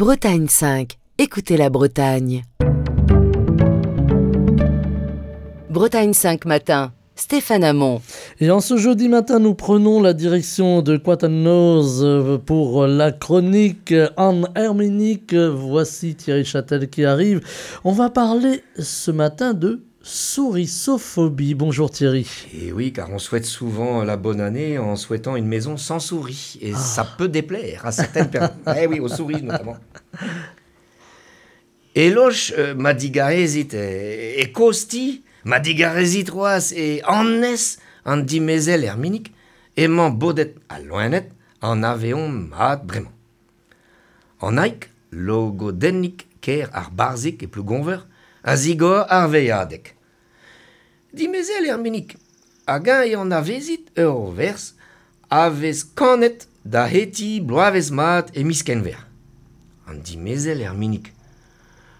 Bretagne 5, écoutez la Bretagne. Bretagne 5 matin, Stéphane Hamon. Et en ce jeudi matin, nous prenons la direction de Quatennose pour la chronique en Herménique. Voici Thierry Châtel qui arrive. On va parler ce matin de sourisophobie. Bonjour Thierry. Et oui, car on souhaite souvent la bonne année en souhaitant une maison sans souris. Et ça peut déplaire à certaines personnes. Eh oui, aux souris notamment. Eloch ma digarezit e kosti, ma digarezit c'hoazh e annez an dimezell Herminig, emañ bodet al loened an aveomp mat bremañ. An Aig, logodennig kêr ar Barzhig e Plougonver, a zigor ar veilhadeg. Dimezell Herminig, hag-eñ e anavezit ur werz a vez kanet da hetiñ bloavezh mat e miz Kenver? An dimezell Herminig.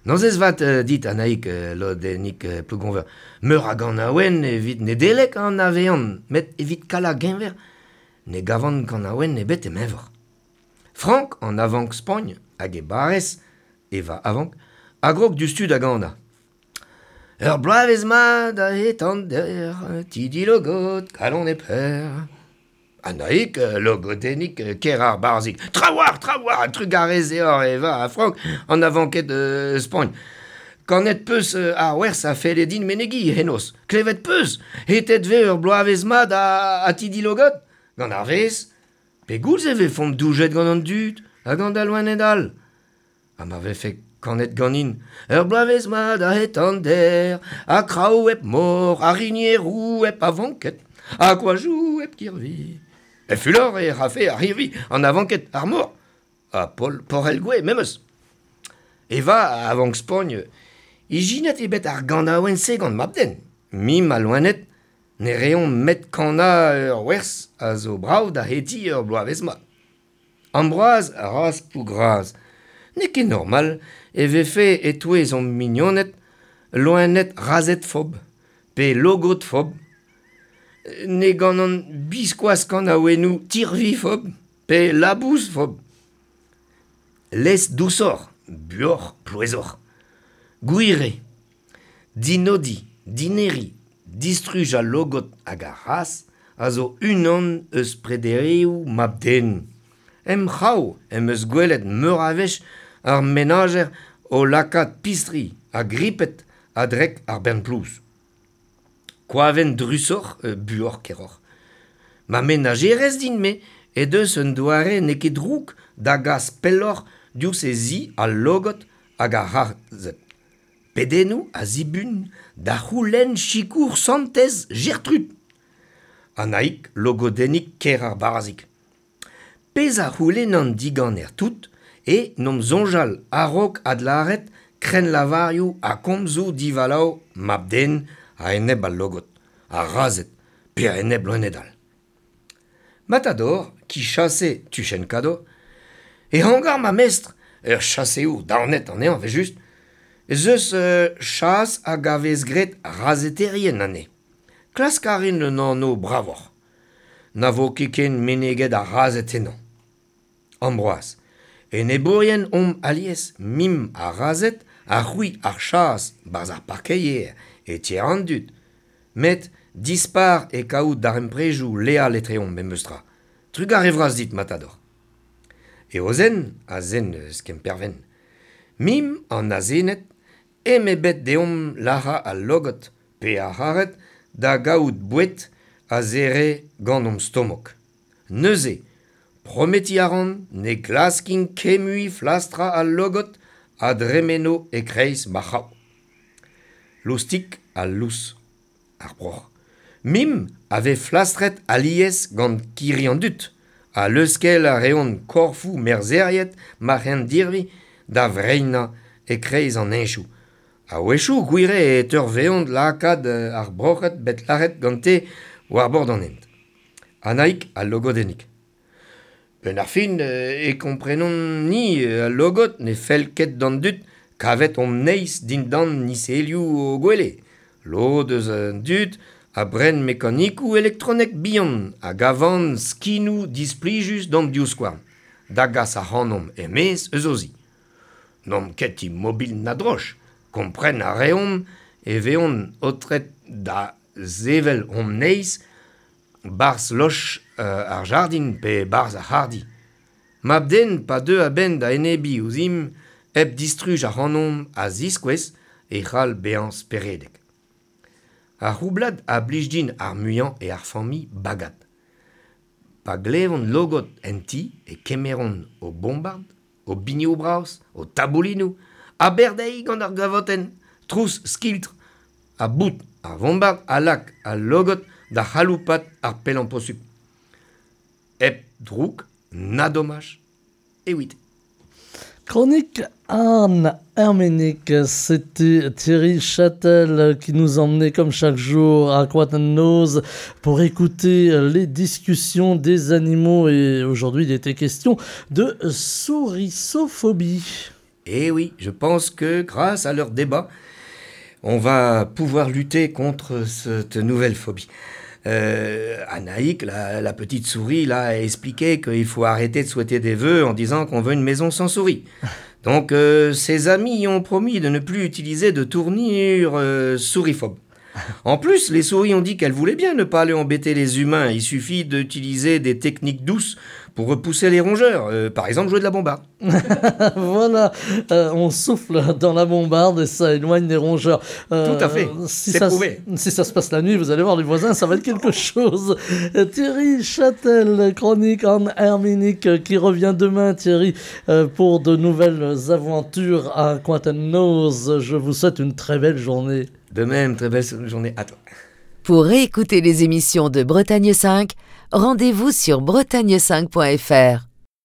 Nozvezh vat dit Annaig Lodennig Plougonver. Meur a ganaouenn evit Nedeleg a anavezan, met evit Kala-Genver ne gavan kanaouenn ebet em eñvor. Frank an avank Spagn hag e barrez, Eva Avank, a grog diouzhtu da ganañ. Ur bloavezh mat a hetan dec'h, ti dilogod, kalon e per. Annaig, logodennig, ker ar barzhig. Trawalc'h, trawalc'h, trugarez deoc'h Eva ha Frank, an avanked Spagn. Kanet 'peus ar werz a felle din menegiñ henoz. Klevet 'peus, hetet 'vez ur bloavezh mat ha ti dilogod? Gant ar vezh? Pegoulz e vefomp doujet gant an dud ha gant al loened all? Ha ma vefe kanet ganin ur bloavezh mat a-hed an der, ha kraou hep mor, ha rinieroù hep avanked, ha koajoù hep kirvi. E fulor e rafe ar c'hirvi, an avanked, ar mor, ha Paul Porel-Gouez memes. Eva a vank Spagn, ijinet eo bet ar ganaouenn-se gant mab-den. Mimp al loened ne reomp 'met kanañ ur werz a zo brav da hetiñ ur bloavezh mat. Ambroaz a ras Plougras. N'eo ket normal e vefe e-touez hon mignoned loened razhed-fob pe logod-fob. Ne ganan biskoazh kanaouennoù tirvi-fob pe labous-fob. Lez dousoc'h, buoc'h plouezoc'h. Gwir eo. Dinodiñ, dineriñ, distruj al logod hag ar c'hazh a zo unan eus prederioù mab-den. Em c'hraou em eus gwelet meur a wech ar menajer o lakaat pistri ha griped a-drek ar bern plouz. Koavenn drusoc'h, buoc'h keroc'h. Ma menajerez din-me he deus un doare n'eo ket drouk da gas pelloc'h diouzh he zi al logod hag ar c'harzhed. Pedennoù a zibun da c'houlenn sikour santez Gertrud. Annaig logodennig kêr ar Barzhig. Pezh a c'houlennan diganer tout eo n'omp soñjal a-raok adlâret krennlavarioù ha komzoù divalav mab-den a-enep al logod, ar razhed pe a-enep loened all. Matador, ki chase tuchenn kador, e hangar ma mestr, ur chaseour daonet anezhañ evel-just, ez eus chas hag a vez graet razeterien anezhe. Klask a rin un anv bravoc'h. Na vo ket ken meneget ar razhed ennañ. Ambroaz, enebourien omp alies, mimp ar razhed ha c'hwi ar chas 'barzh ar parkeier e tier an dud. Met dispar eo kaout darempredoù leal etreomp memes tra. Trugarez vras dit, Matador. Eozen a zen eus Kemperven. Mimp an azened eme bet deomp lazhañ al logod pe ar c'haret da gaout boued a zere gant hon stomok. Neuze, prometiñ a ran ne glaskin ket mui flastrañ al logod a dremeno e-kreiz ma c'hraou. Loustik ha lous ar broc'h. Mimp a vez flastret alies gant kirri an dud ha leuskel a reont korfoù merzheriet ma c'hendirvi da vreinañ e-kreiz an heñchoù. A-wechoù gwir eo e teurveont lakaat ar broc'hed bet lazhet gante war bord an hent. Annaig al logodennig. Benn ar fin e komprenomp-ni al logod ne fell ket d'an dud kavet hon neizh dindan niselioù o gwele. Lod eus an dud a bren mekanikoù elektronek bihan hag a vann skinoù displijus d'an divskouarn da gas ac'hanomp er-maez eus o zi. N'omp ket imobil na droch, kompren a reomp e veont aotret da sevel hon neizh 'barzh loch ar jardin pe 'barzh ar c'harrdi. Mab-den pa deu a-benn da enebiñ ouzhimp hep distruj ac'hanomp a ziskouez e c'hall bezañ speredek. Ar c'houblad a blij din ar muiañ eo ar familh Bagad. Pa glevont logod en ti e kemeront o bombard, o binioù bras, o taboulinoù, ha bec'h dezhi gant ar gavotenn, trouz skiltr ha bout ar vombard a lak al logod da c'haloupat ar pellañ posupl. Hep droug na domaj evit. Chronique Anne Herménic, c'était Thierry Châtel qui nous emmenait comme chaque jour à Coat-an-Noz pour écouter les discussions des animaux et aujourd'hui il était question de sourissophobie. Eh oui, je pense que grâce à leur débat, on va pouvoir lutter contre cette nouvelle phobie. Anaïk, la petite souris, là, a expliqué qu'il faut arrêter de souhaiter des vœux en disant qu'on veut une maison sans souris. Donc, ses amis ont promis de ne plus utiliser de tournure souriphobe. En plus, les souris ont dit qu'elles voulaient bien ne pas aller embêter les humains. Il suffit d'utiliser des techniques douces pour repousser les rongeurs. Par exemple, jouer de la bombarde. Voilà, on souffle dans la bombarde et ça éloigne les rongeurs. Tout à fait, c'est prouvé. Si ça se passe la nuit, vous allez voir les voisins, ça va être quelque chose. Thierry Châtel, chronique en Herménique, qui revient demain, Thierry, pour de nouvelles aventures à Coat-an-Noz. Je vous souhaite une très belle journée. De même, très belle journée à toi. Pour réécouter les émissions de Bretagne 5, rendez-vous sur bretagne5.fr.